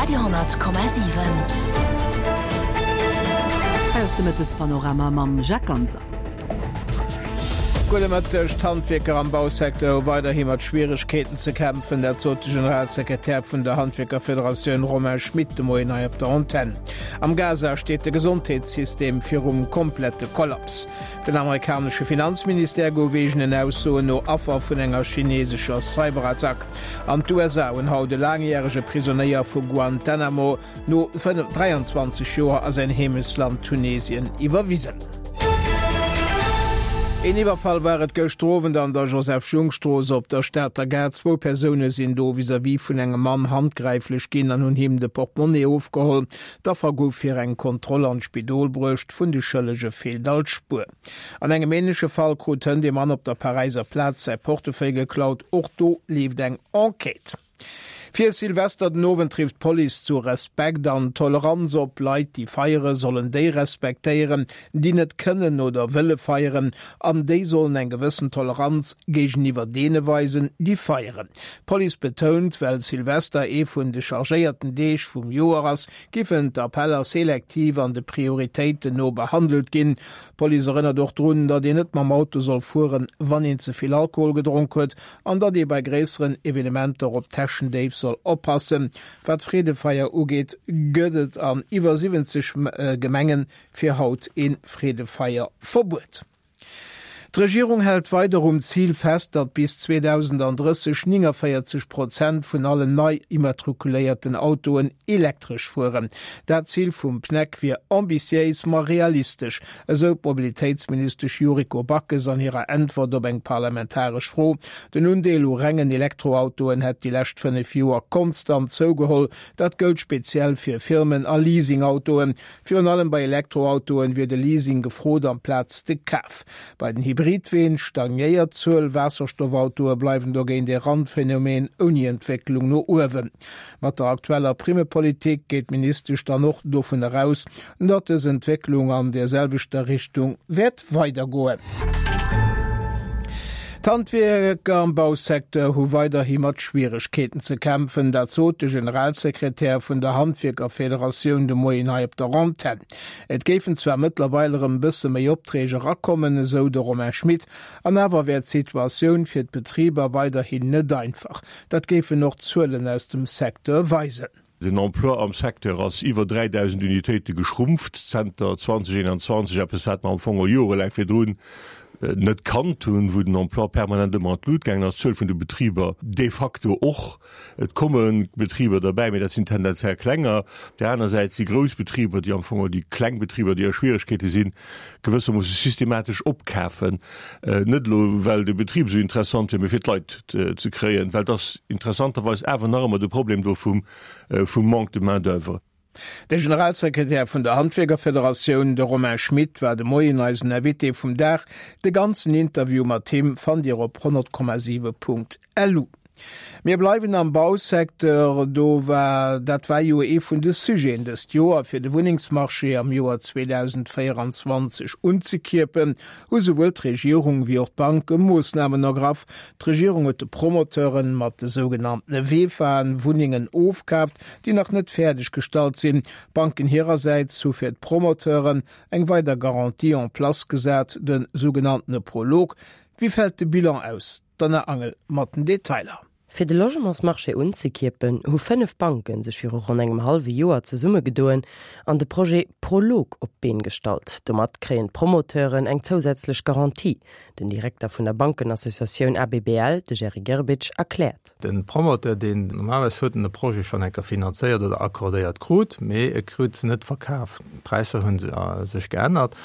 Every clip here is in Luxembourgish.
Radio 10,7. Hei ass de Mëttespanorama mam Jacques Ganser. Gudde Mëtteg. D'Handwierker am Bausecteur hu weiderhi mat Schwieregkeeten ze kämpfen. Dat sot de Generalsekretär vun der Handwierkerfederatioun Romain Schmit de Moien hei op der Antenn. Am Gaza steet de Gesondheetssystem virum komplette Kollaps. Den amerikanesche Finanzministère gouf eegenen Aussoen no Affer vun enger chinesescher Cyberattack. An d'USA hunn haut e laangjärege Prisonéier vu Guantanamo no 23 Joer a säin Heemechtsland Tunesien iwwerwisen. Een Iwwerfall war et gëschter Owend an der Joseph-Jung-Strooss op der Stater Gare. Zwou Persoune sinn do vis-à-vis vun engem Mann handgräiflech ginn an hunn him de Portemonnaie ofgeholl. D'Affer gouf fir eng Kontroll an d'Spidol bruecht, vun de Schëllege feelt all Spuer. An engem änleche Fall krut hënt ee Mann op der Paräiser Plaz säi Portefeuille geklaut, och do leeft eng Enquête. Fir Silvester den Owend rifft d'Police zu Respekt an Toleranz op. Leit, déi feiere sollen déi respektéieren, déi net kënnen oder wëlle feieren an déi sollen eng gewëssen Toleranz géigeniwwer deene weisen, déi feieren. D'Police betount, well Silvester ee vun de chargéierten Deeg vum Joer ass, giffen d'Appeller selektiv an de Prioritéiten no behandelt ginn. D'Police erënnert och drun, datt een net mam Auto soll fueren, wann een ze vill Alkohol gedronk huet an datt ee bei gréisseren Evenementer op Täschendéif soll oppassen. Wat d'Freedefeier ugeet, gëtt et an iwwer 70 Gemenge fir haut ee Freedefeierverbuet. D'Regierung hält weider um Zil fest, datt bis 2030 49 Prozent vun allen nei immatrikuléierten Autoen elektresch fueren. Dat Zil vum PNEC wier ambitiéis, ma realistesch, esou d'Mobilitéitsministesch Yuriko Backes an hirer Äntwert op eng parlamentaresch Fro. Den Undeel u rengen Elektroautoen hätt déi lescht 5 Joer konstant zougeholl. Dat gëllt speziell fir Firmen a Leasingautoen. Virun allem bei Elektroautoen wier de Leasing gefrot amplaz de Kaf. Bei den Hybridween stagnéiert d'Zuel, Waasserstoffautoe bleiwen dogéint ee Randphänomen ouni Entwécklung no uewen. Mat der aktueller Primmepolitik geet d'Ministesch dann och dovun eraus, datt dës Entwécklung an der selwechter Richtung wäert weidergoen. D'Handwierker am Bausecteur hu weiderhi mat Schwieregkeeten ze kämpfen. Dat sot de Generalsekretär vun der Handwierkerfederatioun de Moien hei op der Antenn. Et géifen zwar mëttlerweil erëm e bësse méi Opträg erakommen, esou de Romain Schmit, an awer wär d'Situatioun fir d'Betriber weiderhin net einfach. Dat géifen och d'Zuelen aus dem Secteur weisen. Den Emploi am Secteur ass iwwer 3.000 Unitéite geschrumpft zenter 2021, eppes wat mer am Fong och jorelaang virdrun net kannt hunn, wou den Emploi permanent ëmmer an d'Lut gaangen ass, d'Zuel vun de Betriber de facto och. Et komme Betriber derbäi, mee dat sinn tendenziell klenger. Op där aner Säit si grouss Betriber, déi am Fong och déi kleng Betriber, déi a Schwieregkeete sinn, gewëssermoosse systematesch opkafen, net elo well de Betrib esou interessant wier, mee fir d'Leit ze kréien, well et ass interessanterweis awer nach ëmmer de Problem do vum vum Manque de main d'oeuvre. De Generalsekretär vun der Handwierkerfederatioun, de Romain Schmit, war de Moien eisen Invité vum Dag. De ganzen Interview mat him fannt Dir op 100,7.lu. Mir bleiwen am Bausecteur. Do war, dat war jo ee vun de Sujeten dëst Joer, fir de Wunnengsmarché am Joer 2024 unzekierpen, hu souwuel d'Regierung wéi och d'Banke Moossnamen ergraff. D'Regierung huet de Promoteuren mat de sougenanntene VEFAen Wunnengen ofkaaft, déi nach net fäerdeg gestallt sinn. D'Banken hirersäits hu fir d'Promoteuren eng weider Garantie en place gesat, de sougenanntene Prolog. Wéi fält de Bilan aus? D'Anna Angel mat den Detailer. Fir de Logementsmarché unzekierpen, hu 5 Banke sech viru ronn engem hallwe Joer zesummegedoen an de Projet Prolog op d'Been gestallt. Domat kréien d'Promoteuren eng zousätzlech Garantie. Den Direkter vun der Bankenassociatioun ABBL, de Jerry Grbic, erkläert. De Promoteur, deen normalerweis huet en e Projet schonn eng Kéier finanzéiert oder accordéiert krut, mee e krut se net verkaf. D'Präisser hu sech geännert.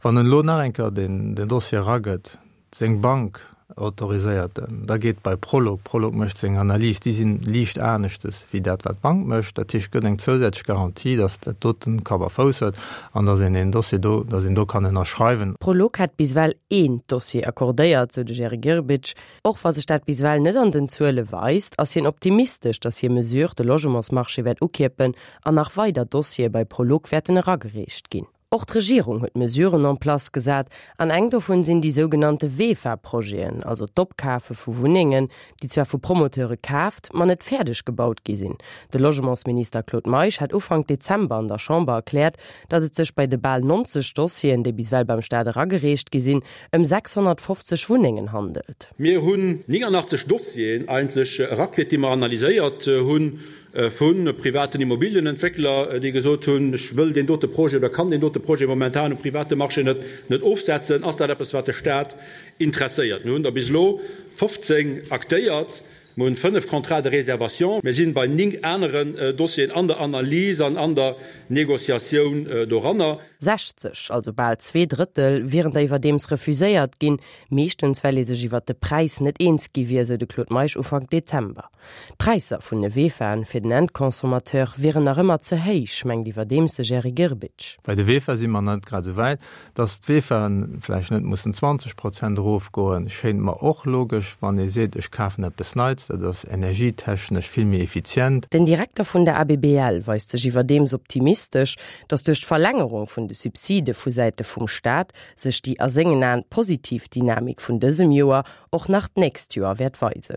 Wann en elo nach eng Kéier den Dossier eragëtt, Seng Bank autoriséiert en, da geet bei Prolog, Prolog mécht seng Analys, déi sinn liicht aneschtes wéi dat wat d'Bank mécht, dat heescht gëtt eng zousätzlech Garantie, datt dat doten Kapp a Fouss huet an datt een deen Dossier do, datt een do kann ënnerschreiwen. Prolog hätt bis ewell een Dossier accordéiert, sou de Jerry Grbic. Och wa sech dat bis ewell net an den Zuele weist, ass hien optimistesch, datt hir Mesure de Logementsmarché wäert ukierpen an nach weider Dossiere bei Prolog wäerten eragereecht ginn. Och d'Regierung huet Mesuren en place gesat, an eng dovun sinn déi sougenannte VEFA-Projeten, also d'Opkafe vu Wunnengen, déi zwar vu Promoteure kaaft, ma net fäerdeg gebaut gi sinn. De Logementsminister Claude Meisch hat Ufank Dezember an der Chamber erkläert, datt et sech bei de bal 90 Dossieren, déi bis ewell beim Staat eragereecht gi sinn, ëm 650 Wunnengen handelt. Mir hunn 89 Dossieren eigentlech erakritt, déi mer analyséiert hunn, vu privaten Immobilienentwéckler, déi gesot hunn, ech wëll deen dote Projet oder kann deen dote Projet momentan um private Marché net net ofsetzen. Ass dat eppes, wat de Stat interesséiert? Mir hunn der bis elo 15 aktéiert. Mir hunn 5 Contrats de réservation. Mir sinn bei 9 aneren Dossieren an der Analys an an der Négociatioun doranner. 60, also bal zweeDrëttel, wieren der iwwerdeems refuséiert ginn, meeschtens well ee sech iwwert de Präis net eens gi wier, sou de Claude Meisch Ufank Dezember. D'Präisser vun de VEFAen fir den Endconsommateur wieren nach ëmmer ze héich, mengt iwwerdeems de Jerry Grbic. Bei de VEFA si mer net grad esou wäit. Datt d'VEFAen vläicht net mussen 20 Prozent erofgoen, schéint mer och logesch, wann ee seet, ech kafen eppes Neits, dat ass energietechnesch vill méi effizient. Den Direkter vun der ABBL weist sech iwwerdeems optimistesch, datt duerch d'Verlängerung vun de Subside vu Säite vum Staat sech déi a sengen Aen positiv Dynamik vun dësem Joer och nach d'nächst Joer wäert weisen.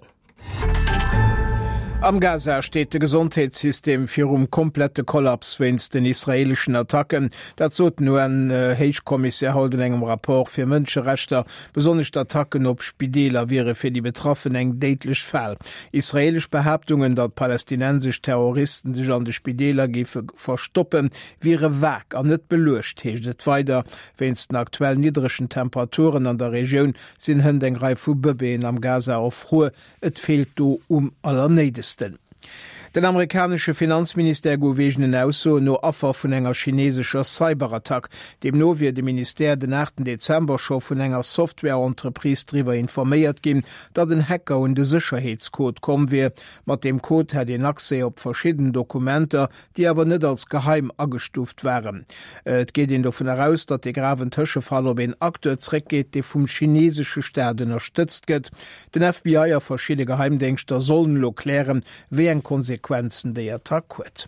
Am Gaza steet de Gesondheetssystem virum komplette Kollaps wéinst den israeeleschen Attacken. Dat sot den UN-Héichkommissär haut an engem Rapport fir Mënscherechter. Besonnesch d'Attacken op Spideeler wiere fir déi Betraffen eng déidlech Fal. Israeelesch Behaaptungen, datt palästinensesch Terroristen sech an de Spideeler géife verstoppen, wiere vag an net beluecht, heescht et weider. Wéinst den aktuell niddregen Temperaturen an der Regioun sinn hënt eng Rei vu Bëbeeën am Gaza erfruer. Et feelt do um Allernéidegsten. Den amerikanesche Finanzministère gouf eegenen Aussoen no Affer vun enger chinesescher Cyberattack. Deemno wier de Ministère den 8 Dezember scho vun enger Software-Entreprise driwwer informéiert ginn, datt en Hacker un de Sécherheetscode komm wier. Mat deem Code hätt een Accès op verschidden Dokumenter, déi awer net als geheim agestuuft waren. Et geet een dovun eraus, datt de graven Tëschefall op een Acteur zréckgeet, dee vum chinesesche Staat ënnerstëtzt gëtt. Den FBI a verschidde Geheimdéngschter sollen elo klären, wéi eng Konsequenzen déi Attack huet.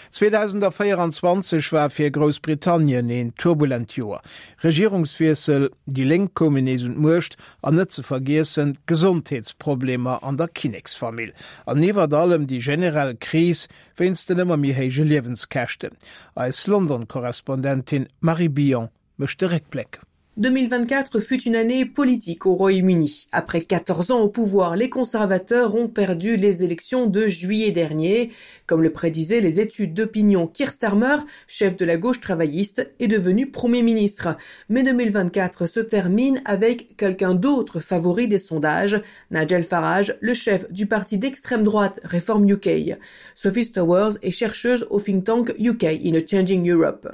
2024 war fir Groussbritannien een turbulent Joer. Regierungswiessel, déi Lénk koumen nees un d'Muecht an net ze vergiessen d'Gesondheetsproblemer an der Kinneksfamill an iwwert allem déi generell Kris wéinst den ëmmer méi héije Liewenskäschten. Eis London-Korrespondentin Marie Billon mécht de Réckbléck. 2024 fut une année politique au Royaume-Uni. Après 14 ans au pouvoir, les conservateurs ont perdu les élections de juillet dernier. Comme le prédisaient les études d'opinion, Keir Starmer, chef de la gauche travailliste, est devenu premier ministre. Mais 2024 se termine avec quelqu'un d'autre favori des sondages, Nigel Farage, le chef du parti d'extrême droite Reform UK. Sophie Stowers est chercheuse au think tank UK in a Changing Europe.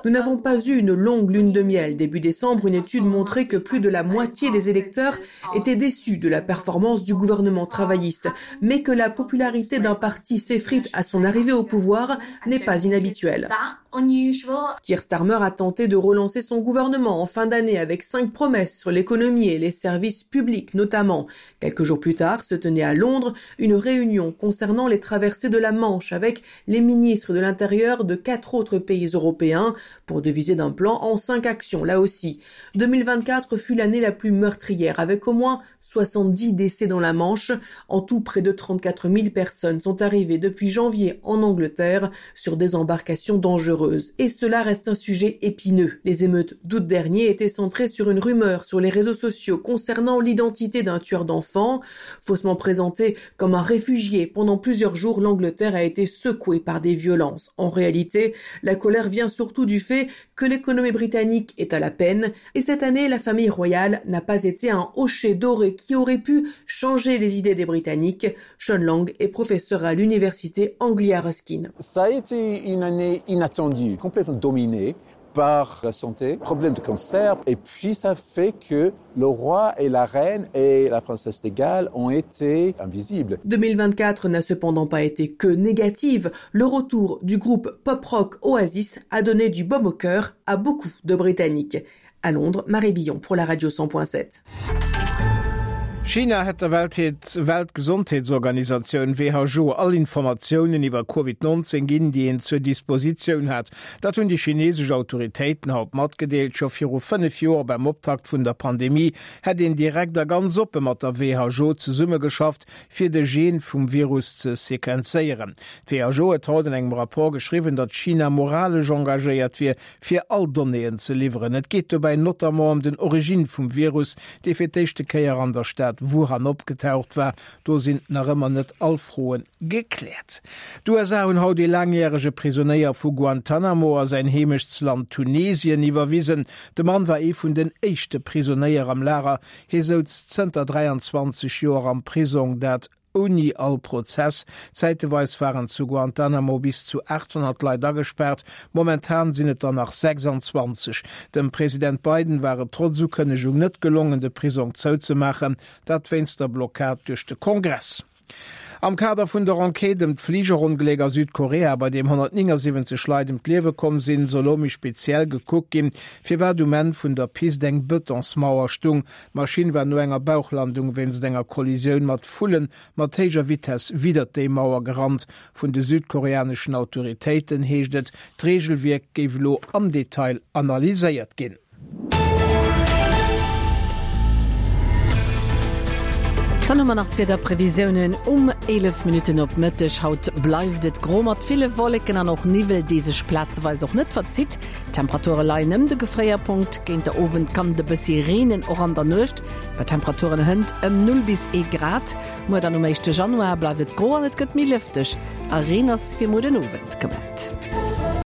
Nous n'avons pas eu une longue lune de miel. Début décembre, une étude montrait que plus de la moitié des électeurs étaient déçus de la performance du gouvernement travailliste, mais que la popularité d'un parti s'effrite à son arrivée au pouvoir n'est pas inhabituelle. Keir Starmer a tenté de relancer son gouvernement en fin d'année avec cinq promesses sur l'économie et les services publics notamment. Quelques jours plus tard se tenait à Londres une réunion concernant les traversées de la Manche avec les ministres de l'Intérieur de quatre autres pays européens pour deviser d'un plan en cinq actions là aussi. 2024 fut l'année la plus meurtrière avec au moins 70 décès dans la Manche. En tout, près de 34 000 personnes sont arrivées depuis janvier en Angleterre sur des embarcations dangereuses. Et cela reste un sujet épineux. Les émeutes d'août dernier étaient centrées sur une rumeur sur les réseaux sociaux concernant l'identité d'un tueur d'enfants. Faussement présenté comme un réfugié pendant plusieurs jours, l'Angleterre a été secouée par des violences. En réalité, la colère vient surtout du fait que l'économie britannique est à la peine. Et cette année, la famille royale n'a pas été un hocher doré qui aurait pu changer les idées des Britanniques. Sean Lang est professeur à l'université Anglia Ruskin. Ça a été une année inattendue, complètement dominée par la santé, problème de cancer et puis ça fait que le roi et la reine et la princesse de Galles ont été invisibles. 2024 n'a cependant pas été que négative. Le retour du groupe pop rock Oasis a donné du baume au cœur à beaucoup de Britanniques. À Londres, Marie Billon pour la radio 100.7. China hätt der Weltgesondheetsorganisatioun, WHO, all Informatiounen iwwer Covid 19 ginn, déi een zur Dispositioun hat. Dat hunn déi chinesesch Autoritéiten haut matgedeelt. Scho viru 5 Joer beim Optakt vun der Pandemie hätt een direkt a ganz oppe mat der WHO zesummegeschafft, fir de Gen vum Virus ze sequenzéieren. D'WHO huet haut an engem Rapport geschriwwen, datt China moralesch engagéiert wier, fir all Donnéeën ze liwweren. Et geet dobäi notamment ëm den Origine vum Virus, dee fir d'éischte Kéier an der Stad Wuhan opgetaucht war. Do sinn nach ëmmer net all Froe gekläert. D'USA hunn haut ee laangjärege Prisonéier vu Guantanamo a säin Heemechtsland Tunesien iwwerwisen. De Mann war ee vun den éischte Prisonéier am Lager. Hie souz zënter 23 Joer am Prisong, dat ouni all Prozess. Zäiteweis waren zu Guantanamo bis zu 800 Leit agespaart, momentan sinn et der nach 26. Dem President Biden war et trotz Ukënnegung net gelongen, de Prisong zouzemaachen, dat wéinst der Blockad duerch de Kongress. Am Kader vun der Enquête ëm d'Fligerongléck a Südkorea, bei deem 179 Leit ëm d'Liewe komm sinn, soll elo méi speziell gekuckt ginn, firwat um Enn vun der Pist eng Betonsmauer stung. D'Maschinn war no enger Bauchlandung wéinst enger Kollisioun mat Vullen mat héijer Vitess widdert déi Mauer gerannt. Vun de südkoreaneschen Autoritéiten heescht et, d'Reegelwierk géif elo am Detail analyséiert ginn. Dann hu mer nach d'Wiederprevisiounen um 11 Minutten op Mëtteg. Haut bleift et gro mat ville Wolleken an och Niwwel, dee sech plazeweis och net verzitt. D'Temperature leien ëm de Gefréierpunkt. Géint der Owend kann et e bëssi reenen, och an der Nuecht, bei Temperaturen hënt ëm 0 bis ee Grad. Muer dann um éischte Januar bleift et gro an et gëtt méi lëfteg a Reen ass fir muer den Owend gemellt.